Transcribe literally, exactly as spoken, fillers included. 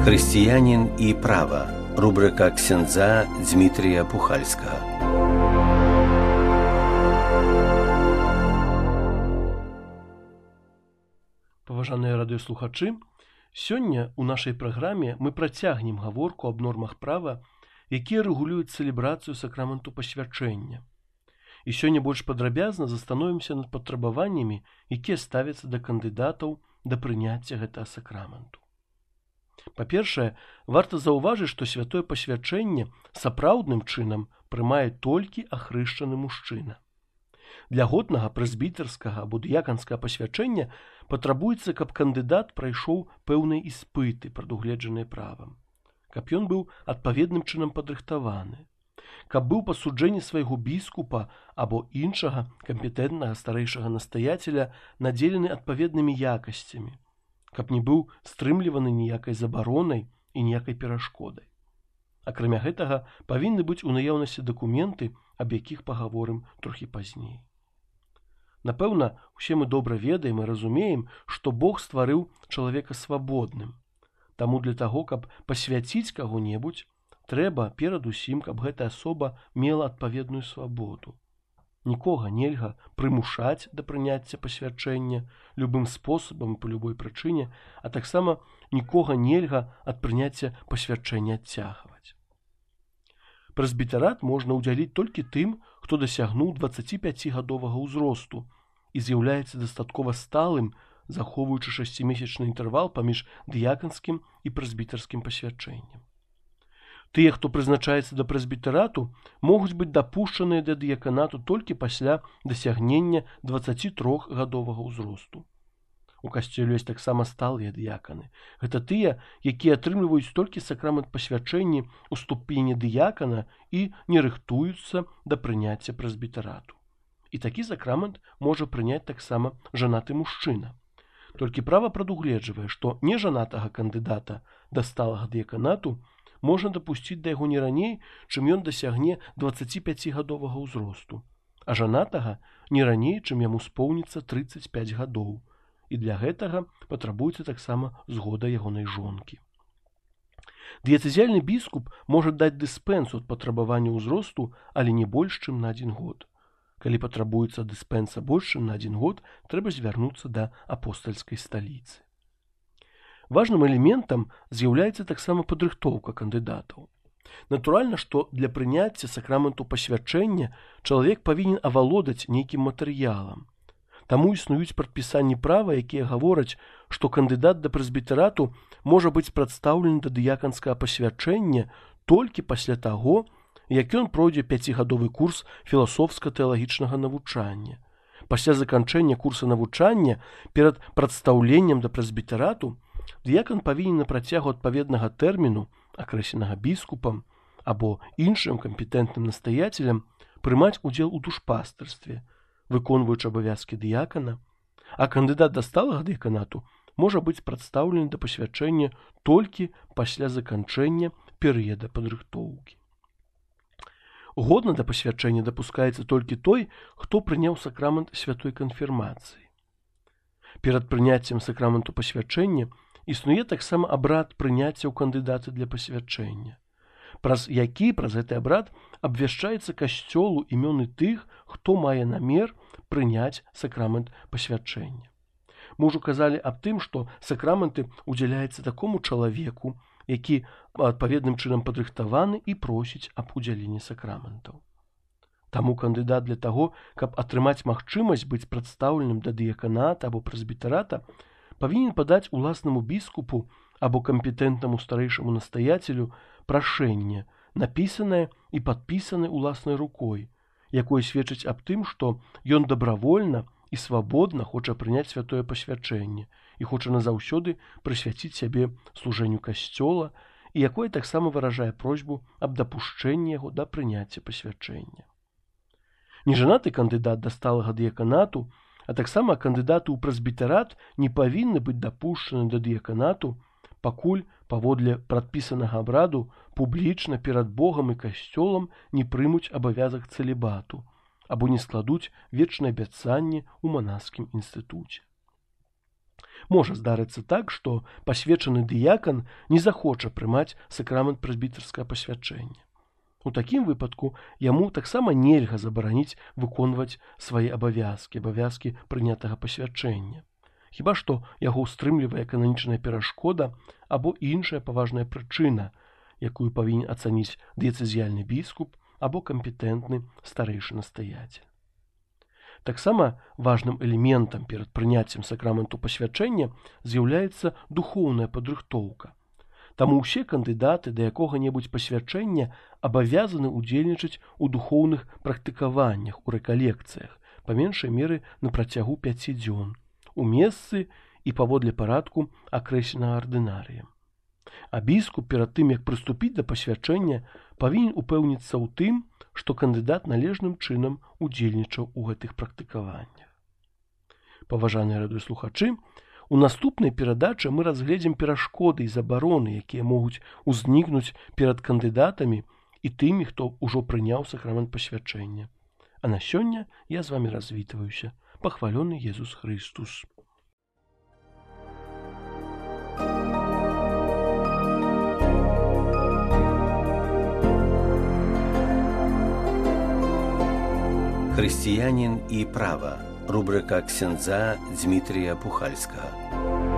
Християнин и право. Рубрика ксяндза Дмитрия Пухальского. Паважаныя радыёслухачы, сёння ў нашай праграме мы працягнем гаворку аб нормах права, якія рэгулююць цэлебрацыю сакраменту пасвячэння. І сёння больш падрабязна застановімся над патрабаваннямі, якія ставяцца да кандыдатаў да прыняцця гэтага сакраменту. Па-першае, варта заўважыць, што святое пасвячэнне сапраўдным чынам прымае толькі ахрышчаны мужчына. Для годнага прэзбітарскага або дыяканскага пасвячэння патрабуецца, каб кандыдат прайшоў пэўныя іспыты, прадугледжаныя правам, каб ён быў адпаведным чынам падрыхтаваны, каб быў па суджэнні свайго біскупа або іншага кампетэнтнага старэйшага настаяцеля надзелены адпаведнымі якасцямі, каб не быў стрымліваны ніякай забаронай і ніякай перашкодай. Акрамя гэтага, павінны быць у наяўнасці дакументы, аб якіх пагаворым трохі пазней. Напэўна, усе мы добра ведаем і разумеем, што Бог стварыў чалавека свабодным. Таму для таго, каб пасвяціць каго-небудзь, трэба перадусім, каб гэтая асоба мела адпаведную свабоду. Нікога нельга прымушаць да прыняцця пасвячэння любым спосабам і па любой прычыне, а таксама нікога нельга ад прыняцця пасвячэння адцягваць. Прэзбітарат можна ўдзяліць толькі тым, хто дасягнуў дваццаціпяцігадовага ўзросту і з'яўляецца дастаткова сталым, захоўваючы шасцімесячны інтэрвал паміж дыяканскім і прэзбітарскім пасвячэннем. Тыя, хто прызначаецца да прэзбітарату, могуць быць дапушчаныя да дыяканату толькі пасля дасягнення дваццацітрохгадовага ўзросту. У касцёле ёсць таксама сталыя дыяканы. Гэта тыя, якія атрымліваюць толькі сакрамент пасвячэння ў ступені дыякана і не рыхтуюцца да прыняцця прэзбітарату. І такі сакрамент можа прыняць таксама жанаты мужчына. Толькі права прадугледжвае, што нежанатага кандыдата да сталага дыяканату можна дапусціць да яго не раней, чым ён дасягне дваццаціпяцігадовага ўзросту, а жанатага не раней, чым яму споўніцца трыццаць пяць гадоў. І для гэтага патрабуецца таксама згода ягонай жонкі. Дыяцэзіяльны біскуп можа даць дыспэнсу ад патрабавання ўзросту, але не больш, чым на адзін год. Калі патрабуецца дыспэнса больш, чым на адзін год, трэба звярнуцца да апостальскай сталіцы. Важным элементам з'яўляецца таксама падрыхтоўка кандыдатаў. Натуральна, што для прыняцця сакраменту пасвячэння чалавек павінен авалодаць нейкім матэрыялам. Таму існуюць прадпісанні права, якія гавораць, што кандыдат да прэзбітарату можа быць прадстаўлены да дыяканскага пасвячэння толькі пасля таго, як ён пройдзе пяцігадовы курс філасофска-тэалагічнага навучання. Пасля заканчэння курса навучання перад прадстаўленнем да прэзбітарату дыякан павінен на працягу адпаведнага тэрміну, акрэсленага біскупам або іншым кампетэнтным настаяцелям, прымаць удзел у душпастырстве, выконваючы абавязкі дыякана, а кандыдат да сталага дыяканату можа быць прадстаўлены да пасвячэння толькі пасля заканчэння перыяда падрыхтоўкі. Годна да пасвячэння дапускаецца толькі той, хто прыняў сакрамент святой канфірмацыі. Перад прыняццем сакраменту пасвячэння існуе таксама абрад прыняцця ў кандыдаты для пасвячэння, праз які праз гэты абрад абвяшчаецца касцёлу імёны тых, хто мае намер прыняць сакрамент пасвячэння. Мы ўжо казалі аб тым, што сакраменты ўдзяляецца такому чалавеку, які адпаведным чынам падрыхтаваны і просіць аб удзяленні сакраментаў. Таму кандыдат для таго, каб атрымаць магчымасць быць прадстаўленым да дыяканата або прэзбітарата, павінен падаць уласнаму біскупу або кампетэнтнаму старэйшаму настаяцелю прашэнне, напісанае і падпісанае уласнай рукой, якое сведчыць аб тым, што ён дабравольна і свабодна хоча прыняць святое пасвячэнне і хоча назаўсёды прысвяціць сябе служэнню касцёла і якое таксама выражае просьбу аб дапушчэнні яго да прыняцця пасвячэння. Нежанаты кандыдат да сталага дыяканату, а таксама кандыдаты ў прэзбітарат не павінны быць дапушчаны да дыяканату, пакуль паводле прадпісанага абраду публічна перад Богам і касцёлам не прымуць абавязак цэлібату або не складуць вечнае абяцанне ў манаскім інстытуце. Можа здарыцца так, што пасвечаны дыякан не захоча прымаць сакрамент прэзбітарскага пасвячэння. У такім выпадку яму таксама нельга забараніць выконваць свае абавязкі, абавязкі прынятага пасвячэння. Хіба што яго ўстрымлівае кананічная перашкода або іншая паважная прычына, якую павінен ацаніць дыяцэзіяльны біскуп або кампетэнтны старэйшы настаяцель. Таксама важным элементам перад прыняццем сакраменту пасвячэння з'яўляецца духоўная падрыхтоўка. Таму ўсе кандыдаты да якога-небудзь пасвячэння абавязаны ўдзельнічаць у духоўных практыкаваннях, у рэкалекцыях, па меншай меры на працягу пяці дзён, у месцы і паводле парадку акрэсленага ардынарыем. А біскуп перад тым, як прыступіць да пасвячэння, павінен упэўніцца ў тым, што кандыдат належным чынам удзельнічаў у гэтых практыкаваннях. Паважаныя радыёслухачы, у наступнай перадачы мы разгледзім перашкоды і забароны, якія могуць узнікнуць перад кандыдатамі і тымі, хто ўжо прыняў сакрамент пасвячэння. А на сёння я з вамі развітваюся. Пахвалёны Езус Хрыстус. Хрысціянін і права. Рубрика ксяндза Дзмітрія Пухальскага.